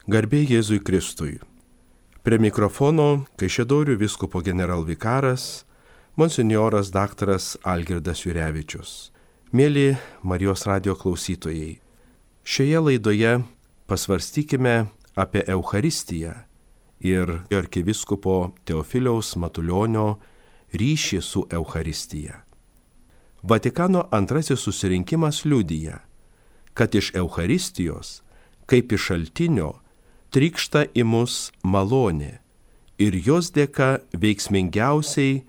Garbė Jėzui Kristui. Prie mikrofono Kaišiadorių vyskupo generalvikaras monsinjoras daktaras Algirdas Jurevičius. Mėly Marijos radijo klausytojai, šioje laidoje pasvarstykime apie Eucharistiją ir arkivyskupo Teofiliaus Matulionio ryšį su Eucharistija. Vatikano antrasis susirinkimas liudija, kad iš Eucharistijos, kaip iš šaltinio, trykšta į mus malonė ir jos dėka veiksmingiausiai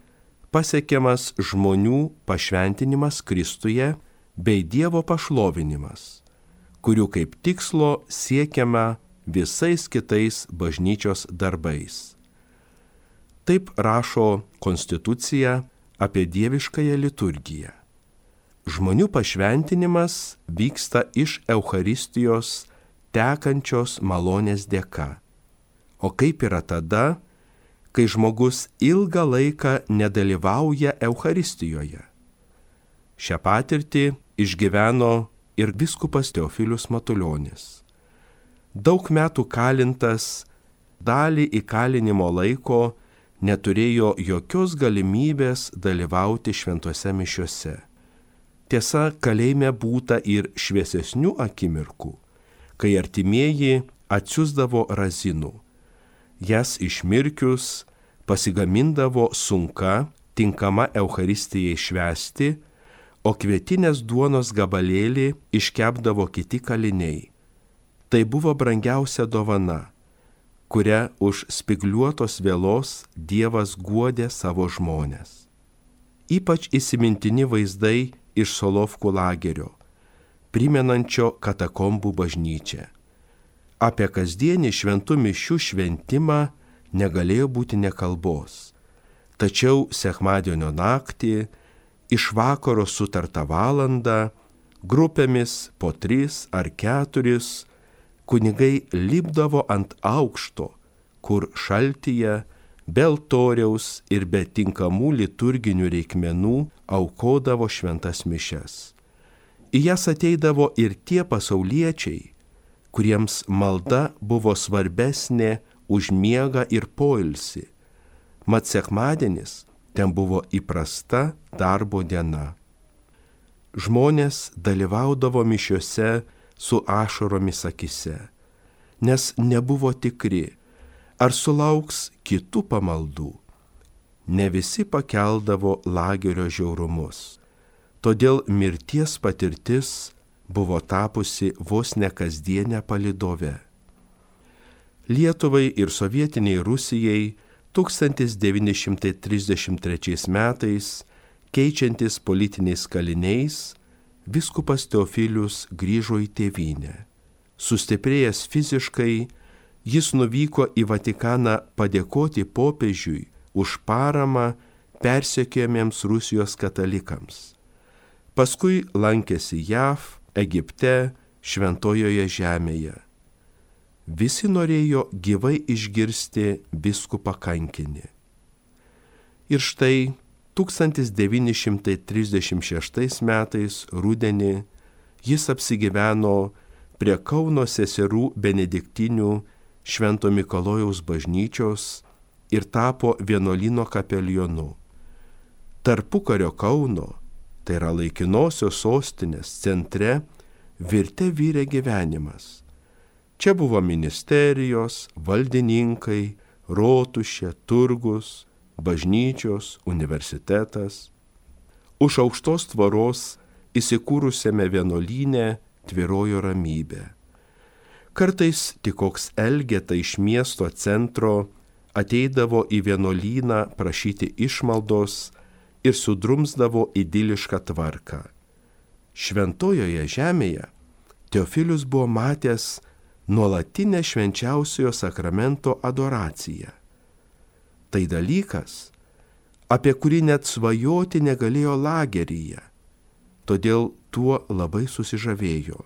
pasiekiamas žmonių pašventinimas Kristuje bei Dievo pašlovinimas, kurių kaip tikslo siekiama visais kitais bažnyčios darbais. Taip rašo konstitucija apie dieviškąją liturgiją. Žmonių pašventinimas vyksta iš Eucharistijos tekančios malonės dėka. O kaip yra tada, kai žmogus ilgą laiką nedalyvauja Eucharistijoje? Šią patirtį išgyveno ir vyskupas Teofilius Matulionis. Daug metų kalintas, dalį įkalinimo laiko neturėjo jokios galimybės dalyvauti šventose mišiose. Tiesa, kalėjime būta ir šviesesnių akimirkų, kai artimieji atsiųsdavo razinų. Jas išmirkius pasigamindavo sunka, tinkama Eucharistijai švęsti, o kvietinės duonos gabalėlį iškepdavo kiti kaliniai. Tai buvo brangiausia dovana, kuria už spigliuotos vėlos Dievas guodė savo žmones. Ypač įsimintini vaizdai iš Solovkų lagerio, primenančio katakombų bažnyčią. Apie kasdienį šventų mišių šventimą negalėjo būti nė kalbos. Tačiau sekmadienio naktį, iš vakaro sutartą valandą, grupėmis po 3 ar 4 kunigai lipdavo ant aukšto, kur šaltyje, be altoriaus ir be tinkamų liturginių reikmenų aukodavo šventas mišias. Į jas ateidavo ir tie pasauliečiai, kuriems malda buvo svarbesnė už miegą ir poilsį. Mat sekmadienis ten buvo įprasta darbo diena. Žmonės dalyvaudavo mišiose su ašaromis akise, nes nebuvo tikri, ar sulauks kitų pamaldų. Ne visi pakeldavo lagerio žiaurumus. Todėl mirties patirtis buvo tapusi vos ne kasdienę palydovę. Lietuvai ir sovietiniai Rusijai 1933 metais, keičiantis politiniais kaliniais, vyskupas Teofilius grįžo į tėvynę. Sustiprėjęs fiziškai, jis nuvyko į Vatikaną padėkoti popiežiui už paramą persekiojamiems Rusijos katalikams. Paskui lankėsi JAV, Egipte, Šventojoje žemėje. Visi norėjo gyvai išgirsti vyskupą kankinį. Ir štai 1936 metais rudenį jis apsigyveno prie Kauno seserų benediktinių Švento Mikalojaus bažnyčios ir tapo vienuolyno kapelionu. Tarpukario Kauno, tai yra laikinosios sostinės centre, virė gyvenimas. Čia buvo ministerijos, valdininkai, rotušė, turgus, bažnyčios, universitetas. Už aukštos tvoros įsikūrusiame vienuolyne tvyrojo ramybė. Kartais tik koks elgeta iš miesto centro ateidavo į vienuolyną prašyti išmaldos ir sudrumsdavo idilišką tvarką. Šventojoje žemėje Teofilius buvo matęs nuolatinę švenčiausiojo sakramento adoraciją. Tai dalykas, apie kurį net svajoti negalėjo lageryje, todėl tuo labai susižavėjo.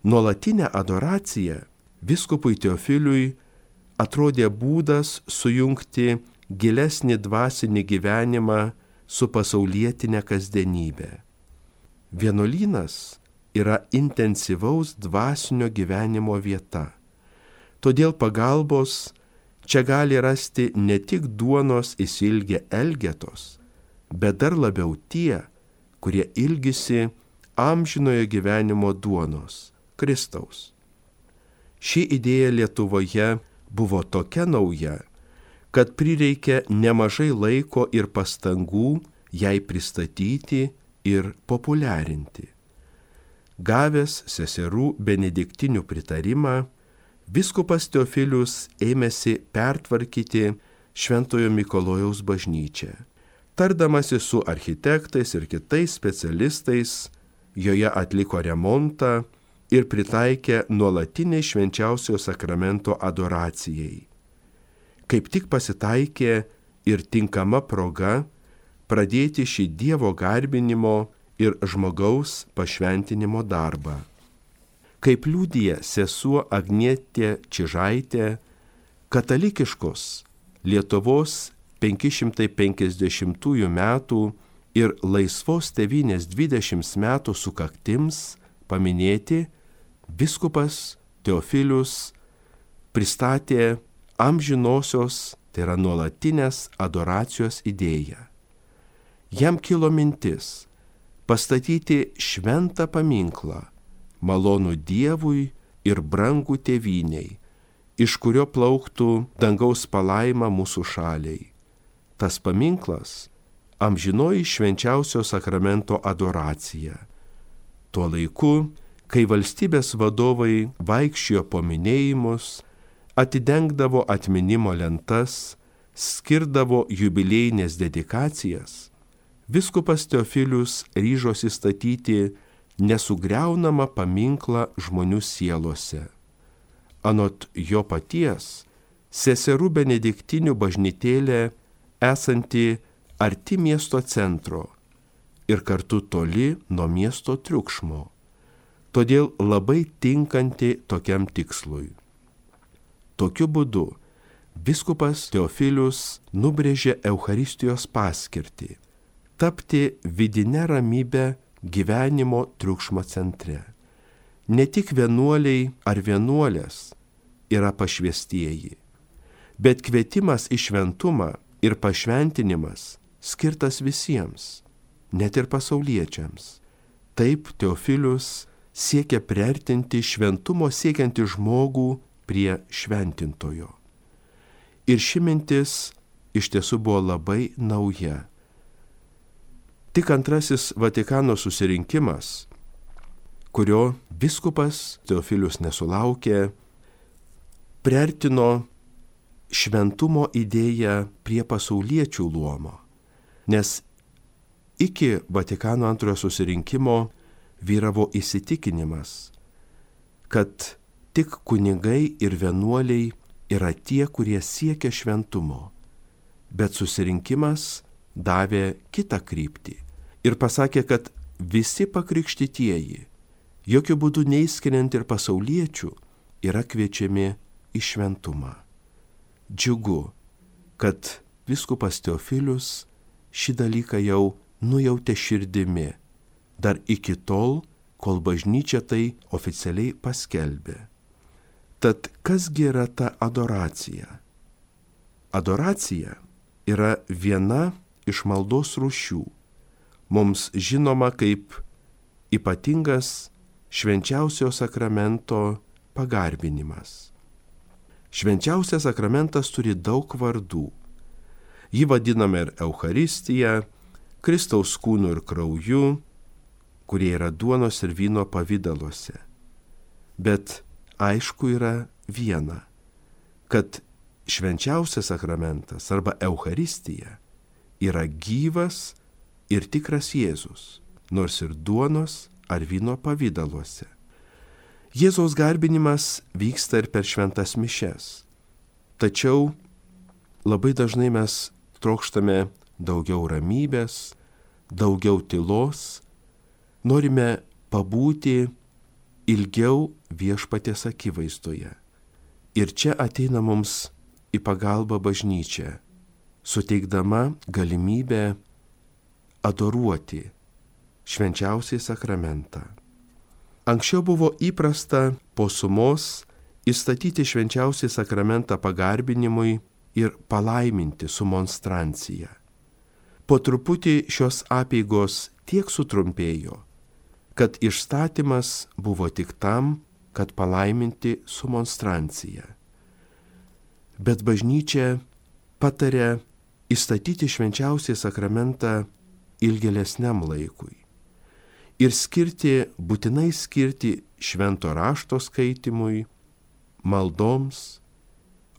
Nuolatinė adoracija vyskupui Teofiliui atrodė būdas sujungti gilesnį dvasinį gyvenimą su pasaulietinė kasdienybė. Vienuolynas yra intensyvaus dvasinio gyvenimo vieta. Todėl pagalbos čia gali rasti ne tik duonos įsilgę elgetos, bet dar labiau tie, kurie ilgisi amžinojo gyvenimo duonos, Kristaus. Ši idėja Lietuvoje buvo tokia nauja, kad prireikė nemažai laiko ir pastangų jai pristatyti ir populiarinti. Gavęs seserų benediktinių pritarimą, vyskupas Teofilius ėmėsi pertvarkyti Šventojo Mikalojaus bažnyčią. Tardamasi su architektais ir kitais specialistais, joje atliko remontą ir pritaikė nuolatiniai švenčiausio sakramento adoracijai. Kaip tik pasitaikė ir tinkama proga pradėti šį Dievo garbinimo ir žmogaus pašventinimo darbą. Kaip liudija sesuo Agnietė Čižaitė, katalikiškos Lietuvos 550 metų ir laisvos tėvynės 20 metų sukaktims paminėti, vyskupas Teofilius pristatė amžinosios, tai yra nuolatinės adoracijos idėją. Jam kilo mintis pastatyti šventą paminklą, malonų Dievui ir brangų tėvyniai, iš kurio plauktų dangaus palaima mūsų šaliai. Tas paminklas – amžinoji švenčiausio sakramento adoracija. Tuo laiku, kai valstybės vadovai vaikščiojo po minėjimus, atidengdavo atminimo lentas, skirdavo jubiliejinės dedikacijas, vyskupas Teofilius ryžosi statyti nesugriaunamą paminklą žmonių sielose. Anot jo paties, seserų benediktinių bažnytėlė esanti arti miesto centro ir kartu toli nuo miesto triukšmo, todėl labai tinkanti tokiam tikslui. Tokiu būdu vyskupas Teofilius nubrėžė Eucharistijos paskirtį – tapti vidinę ramybę gyvenimo triukšmo centre. Ne tik vienuoliai ar vienuolės yra pašvestieji, bet kvietimas į šventumą ir pašventinimas skirtas visiems, net ir pasauliečiams. Taip Teofilius siekia priartinti šventumo siekiantį žmogų prie šventintojo. Ir ši mintis iš tiesų buvo labai nauja. Tik antrasis Vatikano susirinkimas, kurio vyskupas Teofilius nesulaukė, priartino šventumo idėją prie pasauliečių luomo, nes iki Vatikano antrojo susirinkimo vyravo įsitikinimas, kad tik kunigai ir vienuoliai yra tie, kurie siekia šventumo, bet susirinkimas davė kitą kryptį ir pasakė, kad visi pakrikštytieji, jokių būdų neįskiriant ir pasauliečių, yra kviečiami į šventumą. Džiugu, kad vyskupas Teofilius šį dalyką jau nujautė širdimi, dar iki tol, kol bažnyčia tai oficialiai paskelbė. Tad kasgi yra ta adoracija? Adoracija yra viena iš maldos rūšių, mums žinoma kaip ypatingas švenčiausio sakramento pagarbinimas. Švenčiausias sakramentas turi daug vardų. Jį vadiname ir Eucharistija, Kristaus kūnu ir krauju, kurie yra duonos ir vyno pavidaluose. Bet aišku yra viena, kad švenčiausias sakramentas arba Eucharistija yra gyvas ir tikras Jėzus, nors ir duonos ar vyno pavidaluose. Jėzaus garbinimas vyksta ir per šventas mišias. Tačiau labai dažnai mes trokštame daugiau ramybės, daugiau tylos, norime pabūti ilgiau viešpaties akivaizdoje. Ir čia ateina mums į pagalbą bažnyčia, suteikdama galimybę adoruoti švenčiausiai sakramentą. Anksčiau buvo įprasta po sumos įstatyti švenčiausią sakramentą pagarbinimui ir palaiminti su monstrancija. Po truputį šios apeigos tiek sutrumpėjo, kad išstatymas buvo tik tam, kad palaiminti su monstrancija. Bet bažnyčia patarė įstatyti švenčiausią sakramentą ilgėlesniam laikui ir būtinai skirti švento rašto skaitimui, maldoms,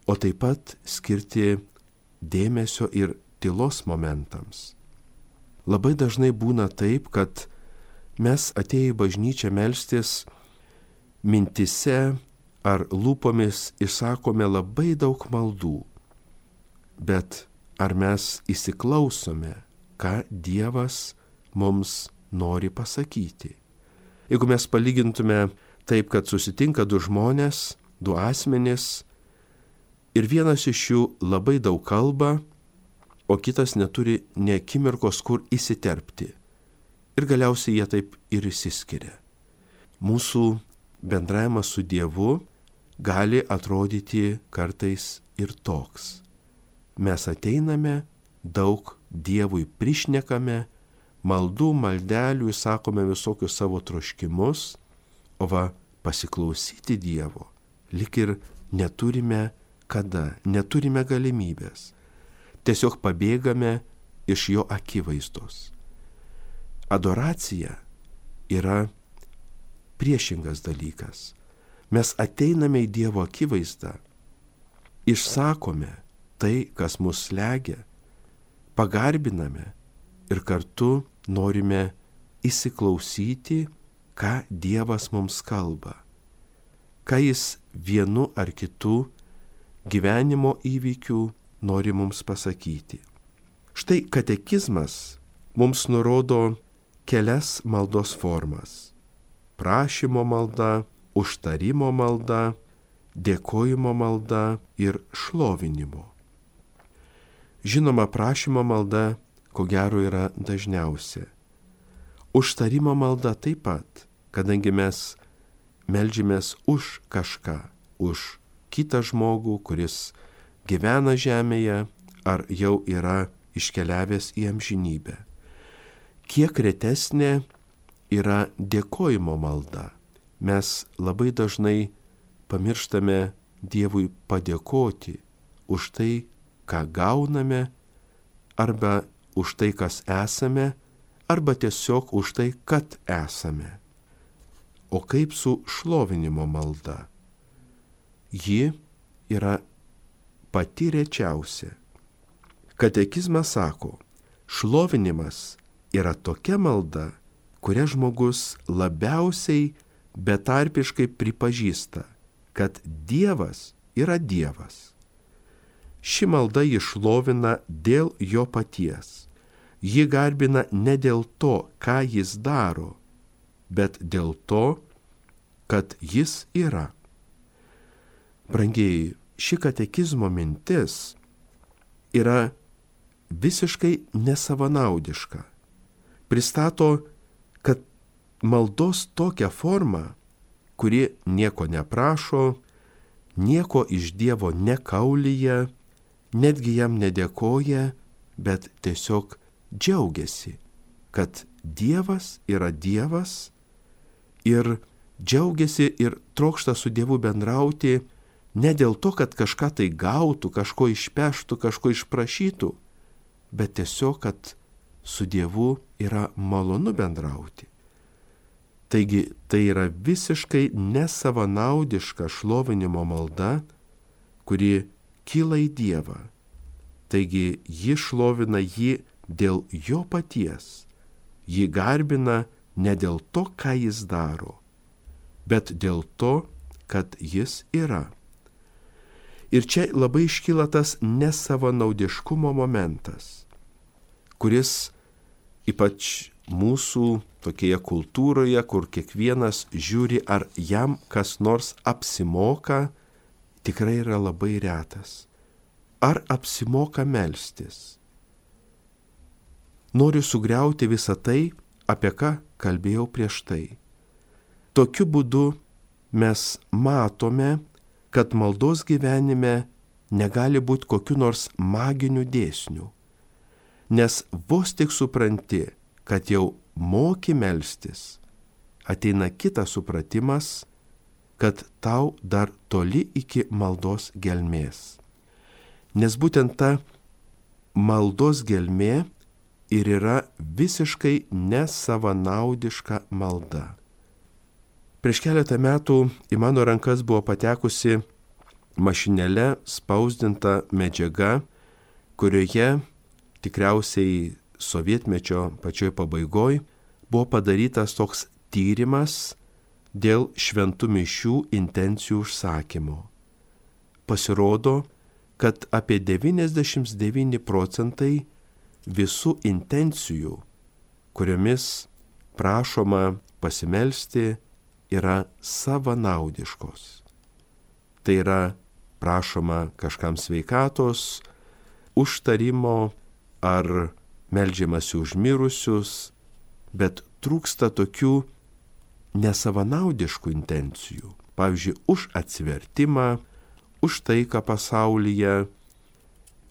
o taip pat skirti dėmesio ir tylos momentams. Labai dažnai būna taip, kad mes atėję į bažnyčią melstis mintise ar lūpomis išsakome labai daug maldų, bet ar mes įsiklausome, ką Dievas mums nori pasakyti? Jeigu mes palygintume taip, kad susitinka du žmonės, du asmenys, ir vienas iš jų labai daug kalba, o kitas neturi nė akimirkos, kur įsiterpti. Ir galiausiai jie taip ir išsiskiria. Mūsų bendravimas su Dievu gali atrodyti kartais ir toks. Mes ateiname, daug Dievui prišnekame, maldų, maldelių, sakome visokius savo troškimus, o pasiklausyti Dievo lyg ir neturime kada, neturime galimybės. Tiesiog pabėgame iš jo akivaizdos. Adoracija yra priešingas dalykas. Mes ateiname į Dievo akivaizdą, išsakome tai, kas mus slegia, pagarbiname ir kartu norime įsiklausyti, ką Dievas mums kalba, ką jis vienu ar kitu gyvenimo įvykių nori mums pasakyti. Štai katekizmas mums nurodo kelias maldos formas: prašymo malda, užtarimo malda, dėkojimo malda ir šlovinimo. Žinoma, prašymo malda ko gero yra dažniausia. Užtarimo malda taip pat, kadangi mes meldžiamės už kažką, už kitą žmogų, kuris gyvena žemėje ar jau yra iškeliavęs į amžinybę. Kiek retesnė yra dėkojimo malda. Mes labai dažnai pamirštame Dievui padėkoti už tai, ką gauname, arba už tai, kas esame, arba tiesiog už tai, kad esame. O kaip su šlovinimo malda? Ji yra pati rečiausia. Katekizmas sako, šlovinimas yra tokia malda, kuria žmogus labiausiai betarpiškai pripažįsta, kad Dievas yra Dievas. Ši malda jį šlovina dėl jo paties. Ji garbina ne dėl to, ką jis daro, bet dėl to, kad jis yra. Brangieji, ši katekizmo mintis yra visiškai nesavanaudiška. Pristato, kad maldos tokia forma, kuri nieko neprašo, nieko iš Dievo nekaulyja, netgi jam nedėkoja, bet tiesiog džiaugiasi, kad Dievas yra Dievas ir džiaugiasi ir trokšta su Dievu bendrauti ne dėl to, kad kažką tai gautų, kažko išpeštų, kažko išprašytų, bet tiesiog, kad su Dievu yra malonu bendrauti. Taigi tai yra visiškai nesavanaudiška šlovinimo malda, kuri kyla į Dievą. Taigi ji šlovina jį dėl jo paties. Ji garbina ne dėl to, ką jis daro, bet dėl to, kad jis yra. Ir čia labai iškyla tas nesavanaudiškumo momentas, kuris ypač mūsų tokioje kultūroje, kur kiekvienas žiūri, ar jam kas nors apsimoka, tikrai yra labai retas. Ar apsimoka melstis? Noriu sugriauti visą tai, apie ką kalbėjau prieš tai. Tokiu būdu mes matome, kad maldos gyvenime negali būti kokiu nors maginiu dėsniu, nes vos tik supranti, kad jau moki melstis, ateina kitas supratimas, kad tau dar toli iki maldos gelmės. Nes būtent ta maldos gelmė ir yra visiškai nesavanaudiška malda. Prieš keletą metų į mano rankas buvo patekusi mašinėle spausdinta medžiaga, kurioje tikriausiai sovietmečio pačioj pabaigoj buvo padarytas toks tyrimas dėl šventų mišių intencijų užsakymo. Pasirodo, kad apie 99 procentai visų intencijų, kuriomis prašoma pasimelsti, yra savanaudiškos. Tai yra prašoma kažkam sveikatos, užtarimo ar meldžiamasi už mirusius, bet trūksta tokių nesavanaudiškų intencijų. Pavyzdžiui, už atsivertimą, už taiką pasaulyje,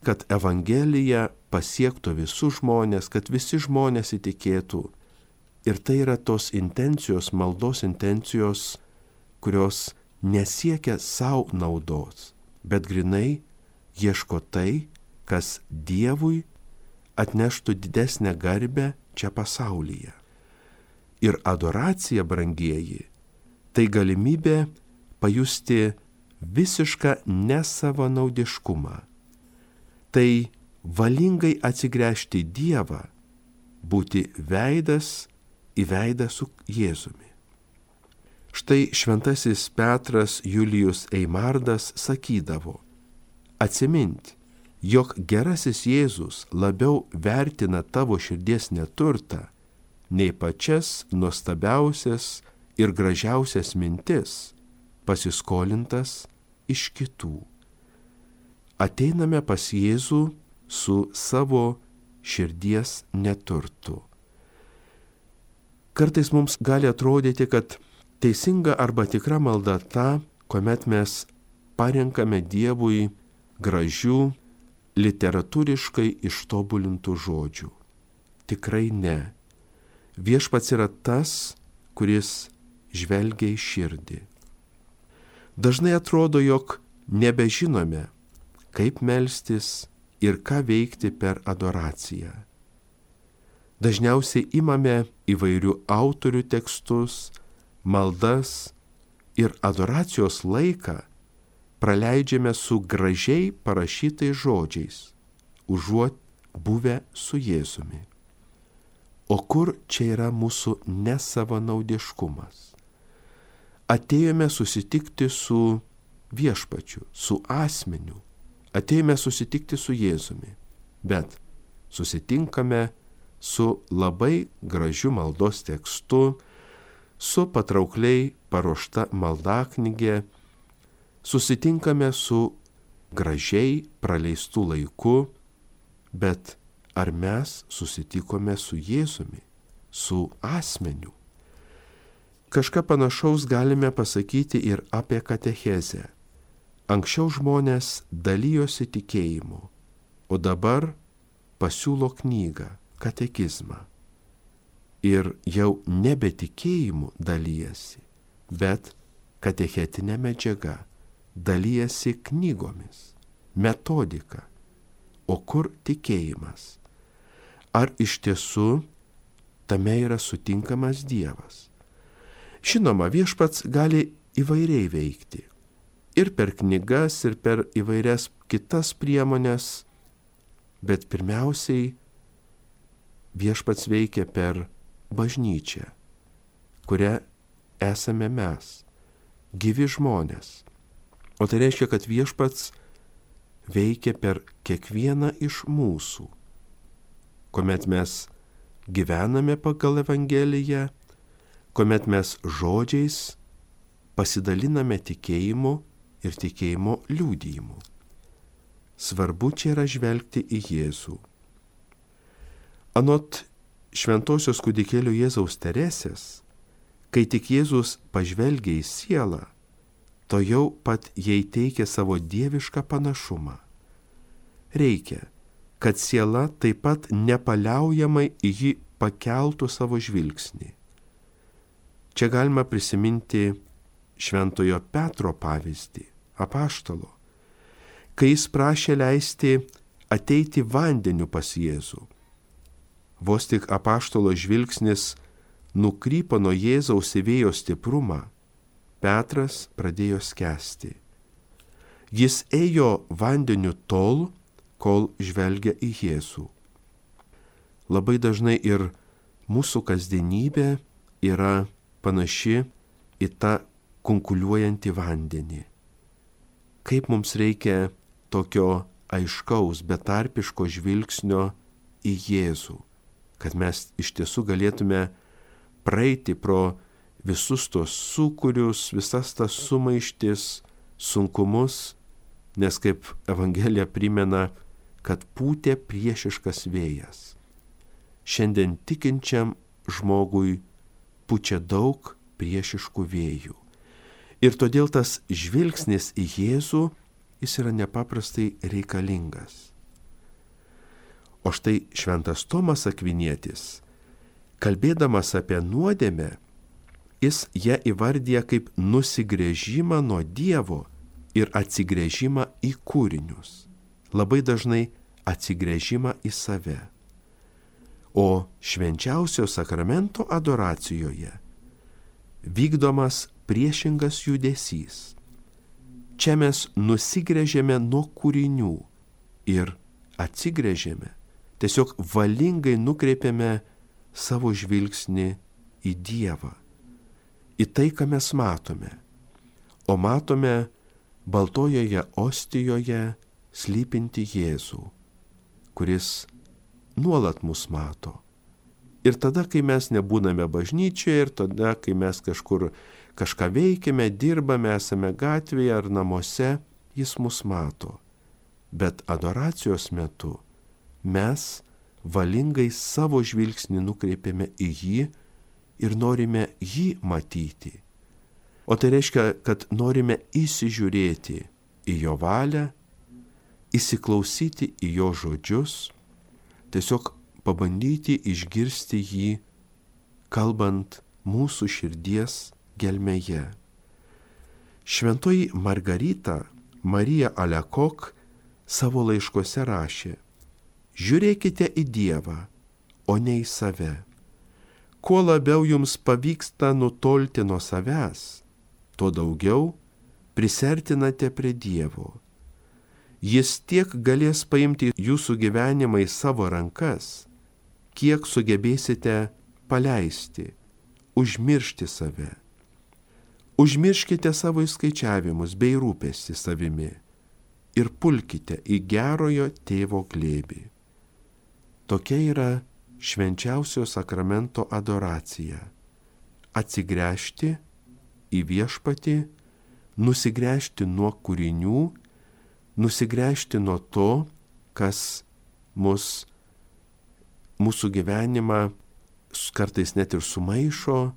kad Evangelija pasiektų visus žmonės, kad visi žmonės įtikėtų. Ir tai yra tos intencijos, maldos intencijos, kurios nesiekia savo naudos, bet grinai ieško tai, kas Dievui atneštų didesnę garbę čia pasaulyje. Ir adoracija, brangieji, tai galimybė pajusti visišką nesavanaudiškumą. Tai valingai atsigręžti į Dievą, būti veidas į veidą su Jėzumi. Štai šventasis Petras Julijus Eimardas sakydavo: atsimint, jog gerasis Jėzus labiau vertina tavo širdies neturtą nei pačias nuostabiausias ir gražiausias mintis, pasiskolintas iš kitų. Ateiname pas Jėzų su savo širdies neturtu. Kartais mums gali atrodyti, kad teisinga arba tikra malda ta, kuomet mes parenkame Dievui gražių, literatūriškai ištobulintų žodžių. Tikrai ne. Viešpats yra tas, kuris žvelgia į širdį. Dažnai atrodo, jog nebežinome, kaip melstis ir ką veikti per adoraciją. Dažniausiai imame įvairių autorių tekstus, maldas ir adoracijos laiką praleidžiame su gražiai parašytais žodžiais, užuot buvę su Jėzumi. O kur čia yra mūsų nesavanaudiškumas? Atėjome susitikti su Viešpačiu, su asmeniu, atėjome susitikti su Jėzumi, bet susitinkame su labai gražiu maldos tekstu, su patraukliai paruošta maldaknygė, susitinkame su gražiai praleistų laiku, bet ar mes susitikome su Jėzumi, su asmeniu? Kažką panašaus galime pasakyti ir apie katechezę. Anksčiau žmonės dalijosi tikėjimu, o dabar pasiūlo knygą, katekizmą. Ir jau nebe tikėjimu dalyjasi, bet katechetinė medžiaga, dalyjasi knygomis, metodika. O kur tikėjimas? Ar iš tiesų tame yra sutinkamas Dievas? Žinoma, Viešpats gali įvairiai veikti. Ir per knygas, ir per įvairias kitas priemonės, bet pirmiausiai Viešpats veikia per bažnyčią, kuria esame mes, gyvi žmonės. O tai reiškia, kad Viešpats veikia per kiekvieną iš mūsų, kuomet mes gyvename pagal Evangeliją, kuomet mes žodžiais pasidaliname tikėjimu ir tikėjimo liudijimu. Svarbu čia yra žvelgti į Jėzų. Anot šventosios kūdikėlio Jėzaus Teresės, kai tik Jėzus pažvelgia į sielą, to jau pat jai teikia savo dievišką panašumą. Reikia, kad siela taip pat nepaliaujamai į jį pakeltų savo žvilgsnį. Čia galima prisiminti Šventojo Petro pavyzdį, apaštalo, kai jis prašė leisti ateiti vandeniu pas Jėzų. Vos tik apaštalo žvilgsnis nukrypo nuo Jėzaus į vėjo stiprumą, Petras pradėjo skęsti. Jis ėjo vandeniu tol, kol žvelgia į Jėzų. Labai dažnai ir mūsų kasdienybė yra panaši į tą kunkuliuojantį vandenį. Kaip mums reikia tokio aiškaus, betarpiško žvilgsnio į Jėzų, kad mes iš tiesų galėtume praeiti pro visus tos sūkurius, visas tas sumaištis, sunkumus, nes kaip Evangelija primena, kad pūtė priešiškas vėjas. Šiandien tikinčiam žmogui pučia daug priešiškų vėjų. Ir todėl tas žvilgsnis į Jėzų, jis yra nepaprastai reikalingas. O štai šventas Tomas Akvinietis, kalbėdamas apie nuodėmę, jis ją įvardyja kaip nusigręžimą nuo Dievo ir atsigręžimą į kūrinius. Labai dažnai atsigręžimą į save. O švenčiausio sakramento adoracijoje vykdomas priešingas judesys. Čia mes nusigręžėme nuo kūrinių ir atsigręžėme, tiesiog valingai nukreipiame savo žvilgsnį į Dievą, į tai, ką mes matome. O matome baltojoje ostijoje slypinti Jėzų, kuris nuolat mus mato. Ir tada, kai mes nebūname bažnyčioje, ir tada, kai mes kažką veikiame, dirbame, esame gatvėje ar namuose, jis mus mato. Bet adoracijos metu mes valingai savo žvilgsnį nukreipiame į jį ir norime jį matyti. O tai reiškia, kad norime įsižiūrėti į jo valią, įsiklausyti į jo žodžius, tiesiog pabandyti išgirsti jį, kalbant mūsų širdies gelmėje. Šventoji Margarita Marija Alekok savo laiškuose rašė: žiūrėkite į Dievą, o ne į save. Kuo labiau jums pavyksta nutolti nuo savęs, tuo daugiau prisertinate prie Dievo. Jis tiek galės paimti jūsų gyvenimą į savo rankas, kiek sugebėsite paleisti, užmiršti save. Užmirškite savo įskaičiavimus bei rūpestį savimi ir pulkite į gerojo tėvo glėbį. Tokia yra švenčiausio sakramento adoracija. Atsigręžti į viešpatį, nusigręžti nuo kūrinių, nusigręžti nuo to, kas mūsų gyvenimą kartais net ir sumaišo,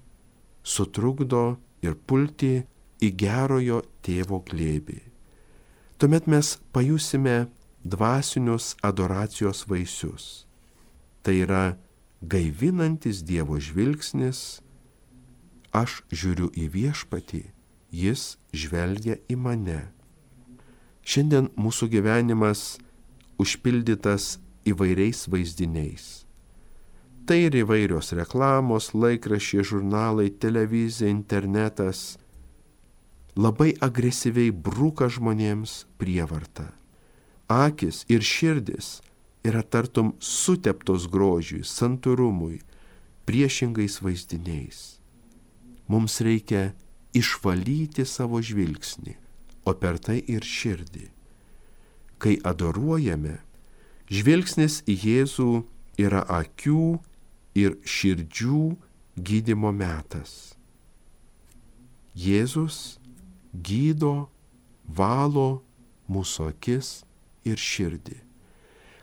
sutrukdo ir pulti į gerojo tėvo glėbį. Tuomet mes pajusime dvasinius adoracijos vaisius. Tai yra gaivinantis Dievo žvilgsnis, aš žiūriu į viešpatį, jis žvelgia į mane. Šiandien mūsų gyvenimas užpildytas įvairiais vaizdiniais. Tai ir įvairios reklamos, laikraščiai, žurnalai, televizija, internetas labai agresyviai bruka žmonėms prievartą. Akis ir širdis yra tartum suteptos grožiui, santūrumui, priešingais vaizdiniais. Mums reikia išvalyti savo žvilgsnį, o per tai ir širdį. Kai adoruojame, žvilgsnis į Jėzų yra akių ir širdžių gydymo metas. Jėzus gydo, valo mūsų akis ir širdį.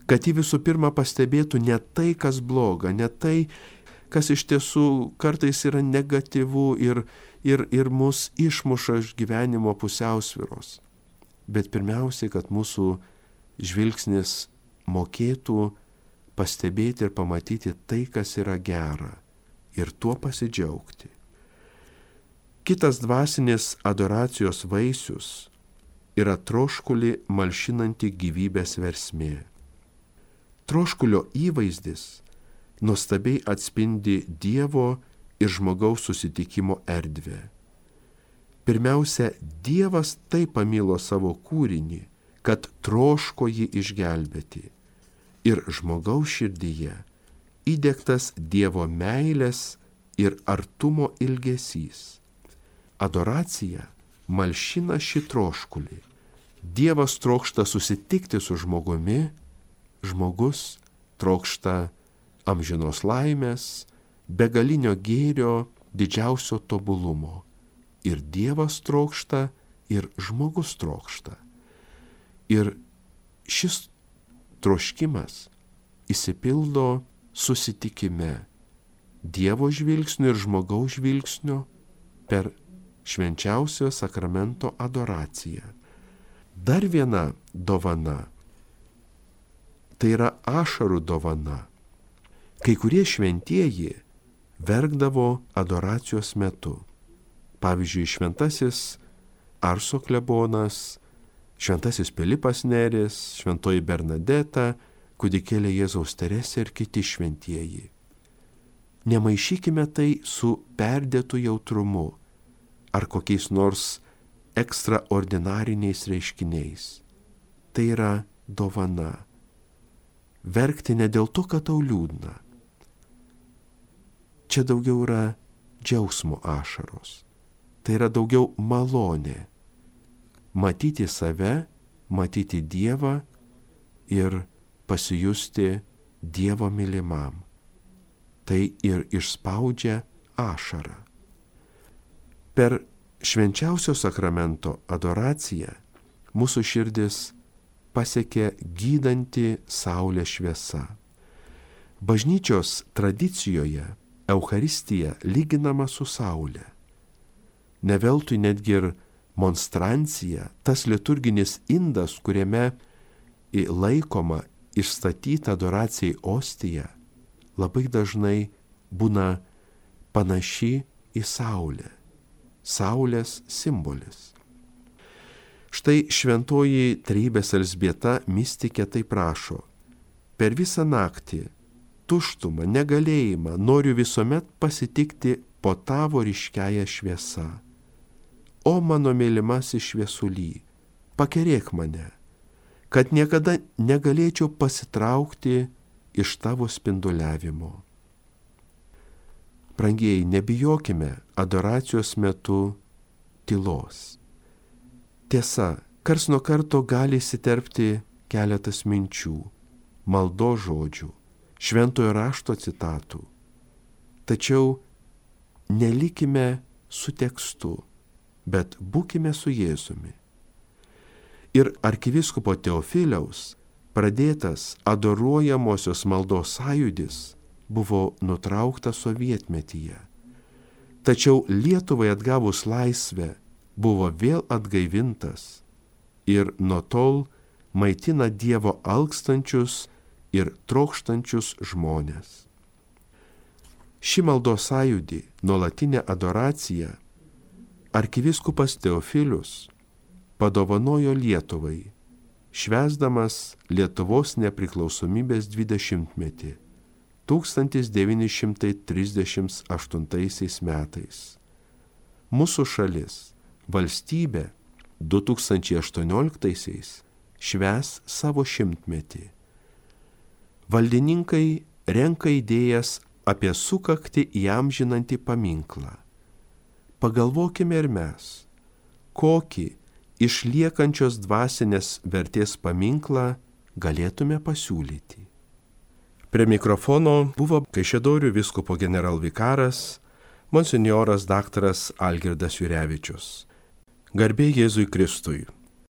Kad jį visų pirma pastebėtų ne tai, kas bloga, ne tai, kas iš tiesų kartais yra negatyvu ir ir mus išmuša iš gyvenimo pusiausvyros. Bet pirmiausiai, kad mūsų žvilgsnis mokėtų pastebėti ir pamatyti tai, kas yra gera, ir tuo pasidžiaugti. Kitas dvasinės adoracijos vaisius yra troškulį malšinanti gyvybės versmė. Troškulio įvaizdis nuostabiai atspindi Dievo ir žmogaus susitikimo erdvę. Pirmiausia, Dievas taip pamilo savo kūrinį, kad troško jį išgelbėti. Ir žmogaus širdyje įdiegtas Dievo meilės ir artumo ilgesys. Adoracija malšina šį troškulį. Dievas trokšta susitikti su žmogumi, žmogus trokšta amžinos laimės, begalinio gėrio, didžiausio tobulumo. Ir Dievas trokšta, ir žmogus trokšta. Ir šis troškimas išsipildo susitikime Dievo žvilgsnio ir žmogaus žvilgsnio per švenčiausio sakramento adoraciją. Dar viena dovana – tai yra ašarų dovana. Kai kurie šventieji verkdavo adoracijos metu. Pavyzdžiui, šventasis Arso klebonas, šventasis Pilypas Neris, šventoji Bernadeta, kūdikėlė Jėzaus Teresė ir kiti šventieji. Nemaišykime tai su perdėtu jautrumu ar kokiais nors ekstraordinariniais reiškiniais. Tai yra dovana. Verkti ne dėl to, kad tau liūdna. Čia daugiau yra džiaugsmo ašaros. Tai yra daugiau malonė. Matyti save, matyti Dievą ir pasijusti Dievo mylimam. Tai ir išspaudžia ašarą. Per švenčiausio sakramento adoraciją mūsų širdis pasiekė gydanti saulės šviesa. Bažnyčios tradicijoje Eucharistija lyginama su saulė. Ne veltui netgi ir monstrancija, tas liturginis indas, kuriame laikoma išstatyta adoracijai ostija, labai dažnai būna panaši į saulę. Saulės simbolis. Štai šventoji Trejybės Elzbieta mistikė taip rašo: per visą naktį, tuštumą, negalėjimą noriu visuomet pasitikti po tavo ryškiąją šviesą. O mano mylimasis šviesuly, pakerėk mane, kad niekada negalėčiau pasitraukti iš tavo spinduliavimo. Brangieji, nebijokime adoracijos metu tylos. Tiesa, karts nuo karto gali įsiterpti keletas minčių, maldos žodžių, šventojo rašto citatų. Tačiau nelikime su tekstu, bet būkime su Jėzumi. Ir arkivyskupo Teofiliaus pradėtas adoruojamosios maldos sąjūdis buvo nutrauktas sovietmetyje. Tačiau Lietuvai atgavus laisvę buvo vėl atgaivintas ir nuo tol maitina Dievo alkstančius ir trokštančius žmones. Ši maldos sąjūdį, nuolatinė adoracija, arkivyskupas Teofilius padovanojo Lietuvai, švęsdamas Lietuvos nepriklausomybės 20-metį 1938 metais. Mūsų šalis, valstybė 2018 švęs savo 100-metį. Valdininkai renka idėjas apie sukaktį įamžinantį paminklą. Pagalvokime ir mes, kokį išliekančios dvasinės vertės paminklą galėtume pasiūlyti. Prie mikrofono buvo Kaišiadorių vyskupo generalvikaras monsinjoras daktaras Algirdas Jurevičius. Garbė Jėzui Kristui.